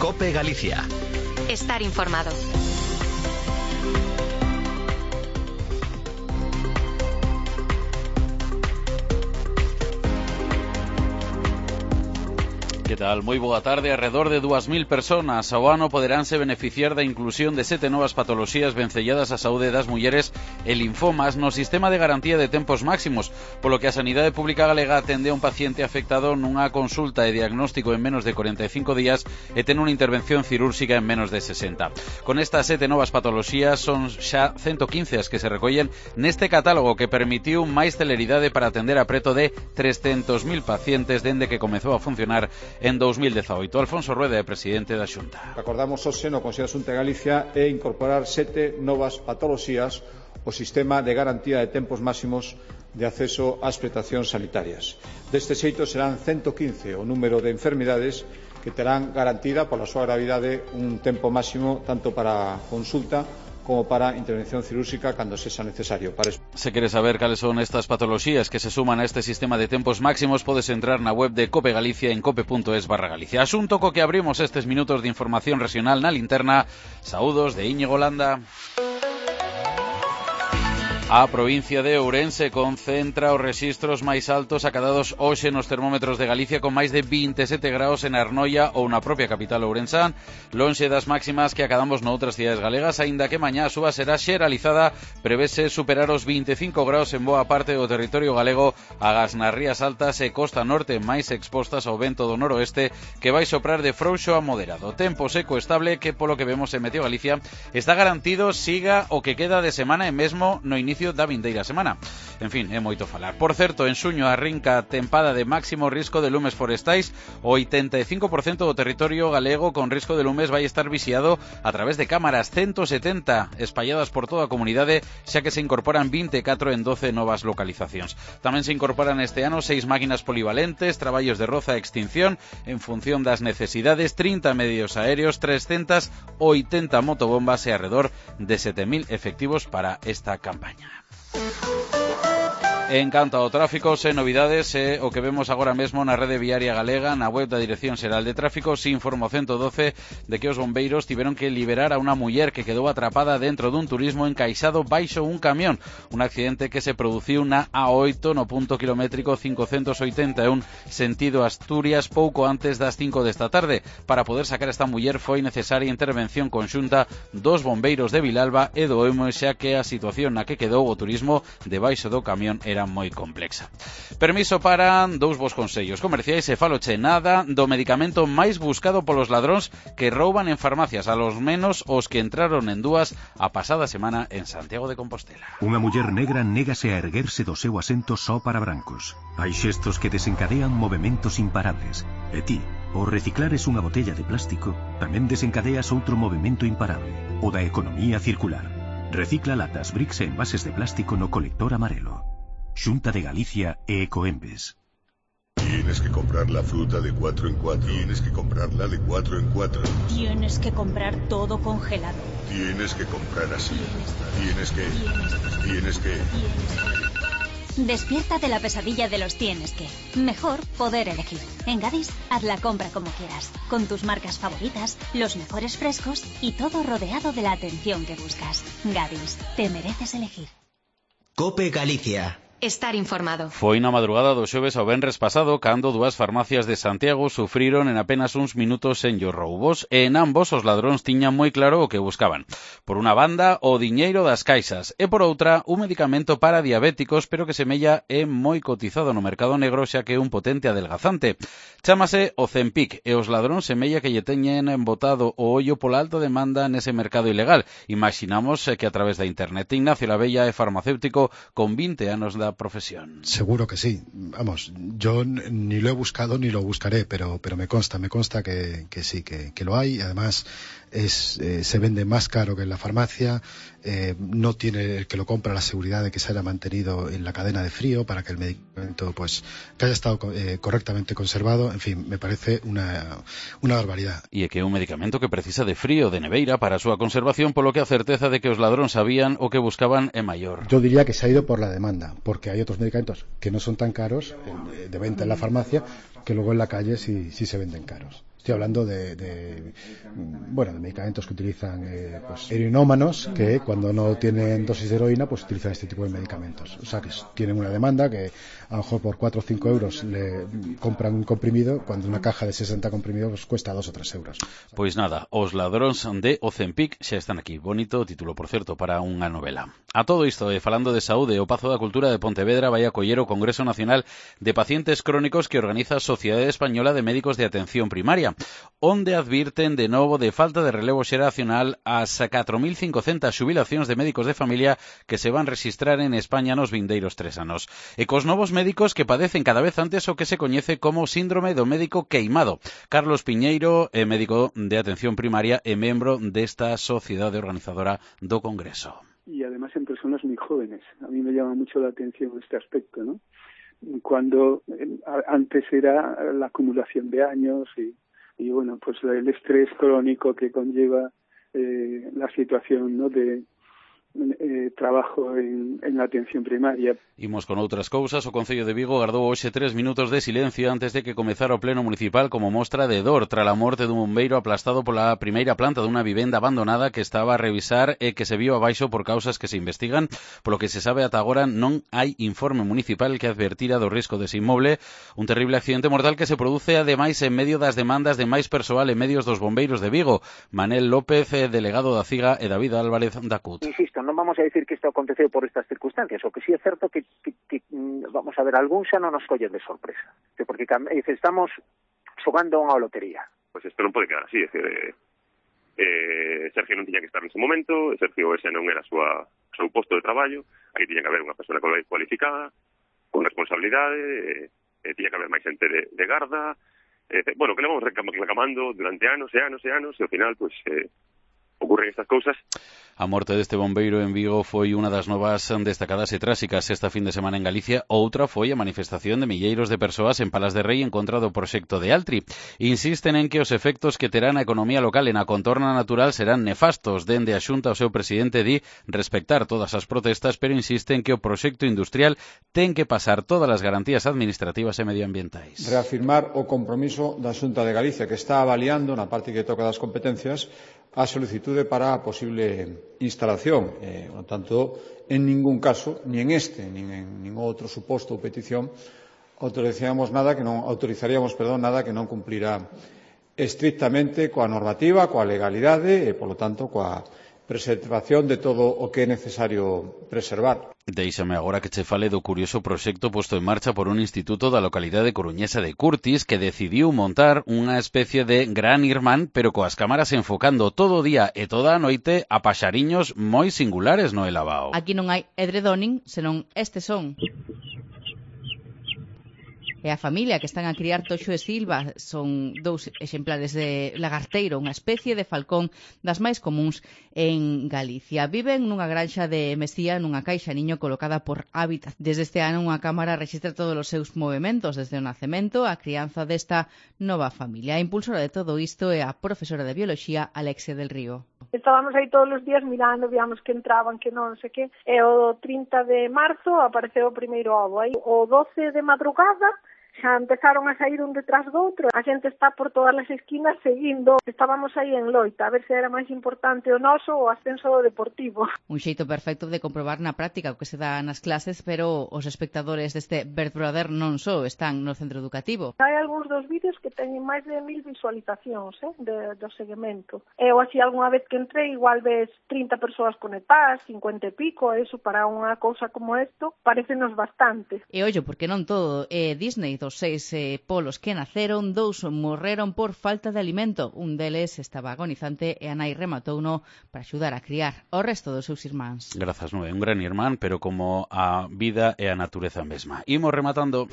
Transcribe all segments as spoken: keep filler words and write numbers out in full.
COPE Galicia. Estar informado. Que tal? Moi boa tarde. Arredor de dúas mil personas ao ano poderánse beneficiar da inclusión de sete novas patoloxías vencelladas á saúde das mulleres e linfomas no sistema de garantía de tempos máximos, polo que a Sanidade Pública Galega atende a un paciente afectado nunha consulta e diagnóstico en menos de corenta e cinco días e ten unha intervención cirúrxica en menos de sesenta. Con estas sete novas patoloxías son xa ciento quince as que se recollen neste catálogo que permitiu máis celeridade para atender a preto de trescentos mil pacientes dende que comezou a funcionar en dos mil dezaoito. Alfonso Rueda é presidente da Xunta. Acordamos hoxe no Consello da Xunta de Galicia e incorporar sete novas patoloxías ao sistema de garantía de tempos máximos de acceso ás prestacións sanitarias. Deste xeito serán ciento quince o número de enfermidades que terán garantida pola súa gravidade un tempo máximo tanto para consulta como para intervención cirúrxica cando sexa necesario. Para eso. Se queres saber cales son estas patoloxías que se suman a este sistema de tempos máximos, podes entrar na web de COPE Galicia en cope punto es barra Galicia. Asunto co que abrimos estes minutos de información regional na linterna. Saúdos de Íñigo Landa. A provincia de Ourense concentra os rexistros máis altos acadados hoxe nos termómetros de Galicia, con máis de vinte e sete graus en Arnoia ou na propia capital ourensán, lonxe das máximas que acadamos noutras cidades galegas, aínda que mañá a súa será xeralizada. Prevese superar os vinte e cinco graus en boa parte do territorio galego, agás nas rías altas e costa norte máis expostas ao vento do noroeste, que vai soprar de frouxo a moderado. Tempo seco estable que, polo que vemos en Meteo Galicia, está garantido siga o que queda de semana e mesmo no inicio da vindeira semana. En fin, é moito falar. Por certo, en xuño arrinca tempada de máximo risco de lumes forestais. O oitenta e cinco por cento do territorio galego con risco de lumes vai estar vixiado a través de cámaras ciento setenta espalladas por toda a comunidade, xa que se incorporan vinte e catro en doce novas localizacións. Tamén se incorporan este ano seis máquinas polivalentes, traballos de roza e extinción en función das necesidades, trinta medios aéreos, trescentas oitenta motobombas e arredor de sete mil efectivos para esta campaña. En canto ao tráfico, sen novidades, é o que vemos agora mesmo na rede viaria galega. Na web da Dirección Xeral de Tráfico se informa o ciento doce de que os bombeiros tiveron que liberar a unha muller que quedou atrapada dentro dun turismo encaixado baixo un camión. Un accidente que se produciu na A oito no punto kilométrico cincocentos oitenta e un sentido Asturias pouco antes das cinco desta tarde. Para poder sacar esta muller foi necesaria intervención conxunta dos bombeiros de Vilalba e do Emo, xa que a situación na que quedou o turismo debaixo do camión era moi complexa. Permiso para dous vos consellos comerciais e faloche nada do medicamento máis buscado polos ladróns que rouban en farmacias, a los menos os que entraron en dúas a pasada semana en Santiago de Compostela. Unha muller negra négase a erguerse do seu asento só para brancos. Hai xestos que desencadean movementos imparables. E ti, ao reciclares unha botella de plástico, tamén desencadeas outro movimento imparable, o da economía circular. Recicla latas, bricks e envases de plástico no colector amarelo. Xunta de Galicia e Ecoembes. Tienes que comprar la fruta de cuatro en cuatro. Tienes que comprarla de cuatro en cuatro. Tienes que comprar todo congelado. Tienes que comprar así. Tienes que... Tienes que... Despierta de la pesadilla de los tienes que. Mejor poder elegir. En Gadis, haz la compra como quieras, con tus marcas favoritas, los mejores frescos y todo rodeado de la atención que buscas. Gadis, te mereces elegir. COPE Galicia. Estar informado. Foi na madrugada do xoves ao venres pasado cando dúas farmacias de Santiago sufriron en apenas uns minutos en os roubos, e en ambos os ladróns tiñan moi claro o que buscaban. Por unha banda, o diñeiro das caixas, e por outra, un medicamento para diabéticos, pero que semella é moi cotizado no mercado negro, xa que é un potente adelgazante. Chámase o Zempic, e os ladróns semella que lle teñen botado o ollo pola alta demanda nese mercado ilegal. Imaginamos que a través da internet. Ignacio Labella é farmacéutico con vinte anos da profesión. Seguro que sí. Vamos, yo ni lo he buscado ni lo buscaré, pero pero me consta, me consta que, que sí, que, que lo hay. Además, es eh, se vende más caro que en la farmacia. Eh, no tiene el que lo compra la seguridad de que se haya mantenido en la cadena de frío para que el medicamento, pues, que haya estado eh, correctamente conservado. En fin, me parece una, una barbaridad. E é que é un medicamento que precisa de frío, de neveira para a súa conservación, polo que a certeza de que os ladróns sabían o que buscaban é maior. Yo diría que se ha ido por la demanda, porque hay otros medicamentos que no son tan caros eh, de venta en la farmacia, que luego en la calle sí, sí se venden caros. Estoy hablando de, de bueno, de medicamentos que utilizan eh, pues, heroinómanos que cuando no tienen dosis de heroína pues utilizan este tipo de medicamentos. O sea que tienen una demanda que a lo mejor por cuatro o cinco euros le compran un comprimido cuando una caja de sesenta comprimidos pues, cuesta dos o tres euros. Pois nada, os ladróns de Ozempic xa están aquí. Bonito título, por certo, para unha novela. A todo isto, e falando de saúde, o Pazo da Cultura de Pontevedra vai acoller o Congreso Nacional de Pacientes Crónicos que organiza a Sociedade Española de Médicos de Atención Primaria, onde advirten de novo de falta de relevo xeracional as catro mil cincocentas xubilacións de médicos de familia que se van registrar en España nos vindeiros tres anos. E cos novos médicos que padecen cada vez antes o que se coñece como síndrome do médico queimado. Carlos Piñeiro é médico de atención primaria e membro desta sociedade organizadora do Congreso. Y además en personas muy jóvenes. A mí me llama mucho la atención este aspecto, ¿no? Cuando eh, antes era la acumulación de años y, y bueno, pues el estrés crónico que conlleva eh, la situación, ¿no?, de eh, trabajo en, en la atención primaria. Imos con outras cousas. O Concello de Vigo gardou hoxe tres minutos de silencio antes de que comezara o pleno municipal como mostra de dor tras a morte dun bombeiro aplastado pola primeira planta dunha vivenda abandonada que estaba a revisar e que se viu abaixo por causas que se investigan. Polo que se sabe ata agora non hai informe municipal que advertira do risco dese inmoble. Un terrible accidente mortal que se produce ademais en medio das demandas de máis persoal e medios dos bombeiros de Vigo. Manel López, delegado da CIGA, e David Álvarez da C U T. Insisto, non vamos a decir que isto aconteceu por estas circunstancias, o que sí é certo que Que, que, vamos a ver, algún xa non nos collen de sorpresa, porque estamos xogando unha lotería. Pois isto non pode quedar así, é dicir, eh, eh, Sergio non tiña que estar nese momento, Sergio ese non era a súa, o seu posto de traballo, aí tiña que haber unha persona cualificada, con responsabilidade, eh, tiña que haber máis xente de, de garda, eh, bueno, que le vamos reclamando durante anos e anos e anos, e ao final, pois, eh, ocurren estas cousas. A morte deste bombeiro en Vigo foi unha das novas destacadas e tráxicas esta fin de semana en Galicia. Outra foi a manifestación de milleiros de persoas en Palas de Rei en contra do proxecto de Altri. Insisten en que os efectos que terá na economía local e na contorna natural serán nefastos. Dende a Xunta o seu presidente di respectar todas as protestas, pero insiste en que o proxecto industrial ten que pasar todas as garantías administrativas e medioambientais. Reafirmar o compromiso da Xunta de Galicia, que está avaliando na parte que toca das competencias a solicitude para a posible instalación. Eh, por tanto, en ningún caso, ni en este, ni en ningún outro suposto ou petición, autorizaríamos nada que non autorizaríamos, perdón, nada que non cumplirá estrictamente coa normativa, coa legalidade e, polo tanto, coa preservación de todo o que é necesario preservar. Deixame agora que che fale do curioso proxecto posto en marcha por un instituto da localidade coruñesa de Curtis que decidiu montar unha especie de gran irmán, pero coas cámaras enfocando todo o día e toda a noite a paxariños moi singulares no Elabao. Aquí non hai edredoning, senón este son. E a familia que están a criar Toxo e Silva son dous exemplares de lagarteiro, unha especie de falcón das máis comuns en Galicia. Viven nunha granxa de Mesía nunha caixa niño colocada por Hábitat. Desde este ano unha cámara rexistra todos os seus movementos desde o nacemento á crianza desta nova familia. A impulsora de todo isto é a profesora de bioloxía Alexia del Río. Estábamos aí todos os días mirando, víamos que entraban, que non sei que, e o trinta de marzo apareceu o primeiro ovo. Aí o doce de madrugada xa empezaron a sair un detrás do outro. A xente está por todas as esquinas seguindo. Estábamos aí en loita, a ver se era máis importante o noso ou o ascenso do Deportivo. Un xeito perfecto de comprobar na práctica o que se dá nas clases, pero os espectadores deste Bird Brother non só están no centro educativo. Hai algúns dos vídeos que teñen máis de mil visualizacións eh, de, do seguimento. E ou así, algunha vez que entrei, igual ves trinta persoas conectadas, cincuenta e pico, eso para unha cousa como isto, parécenos bastante. E ollo, porque non todo é Disney. Dos seis eh, polos que naceron, dous morreron por falta de alimento. Un deles estaba agonizante e a nai rematouno para axudar a criar o resto dos seus irmáns. Grazas, non é un gran irmán, pero como a vida e a natureza mesma. Imos rematando.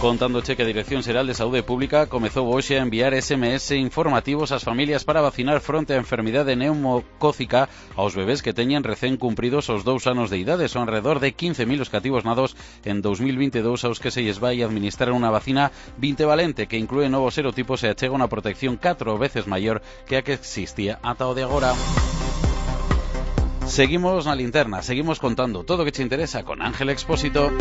Contándoche que a Dirección Xeral de Saúde Pública comezou hoxe a enviar S M S informativos ás familias para vacinar fronte á enfermidade neumocócica aos bebés que teñen recén cumpridos os dous anos de idade. Son alrededor de quince mil os cativos nados en dos mil vinte e dous aos que se lles vai administrar unha vacina vintevalente que inclúe novos serotipos e achega unha protección catro veces maior que a que existía ata o de agora. Seguimos na linterna, seguimos contando todo o que te interesa con Ángel Expósito.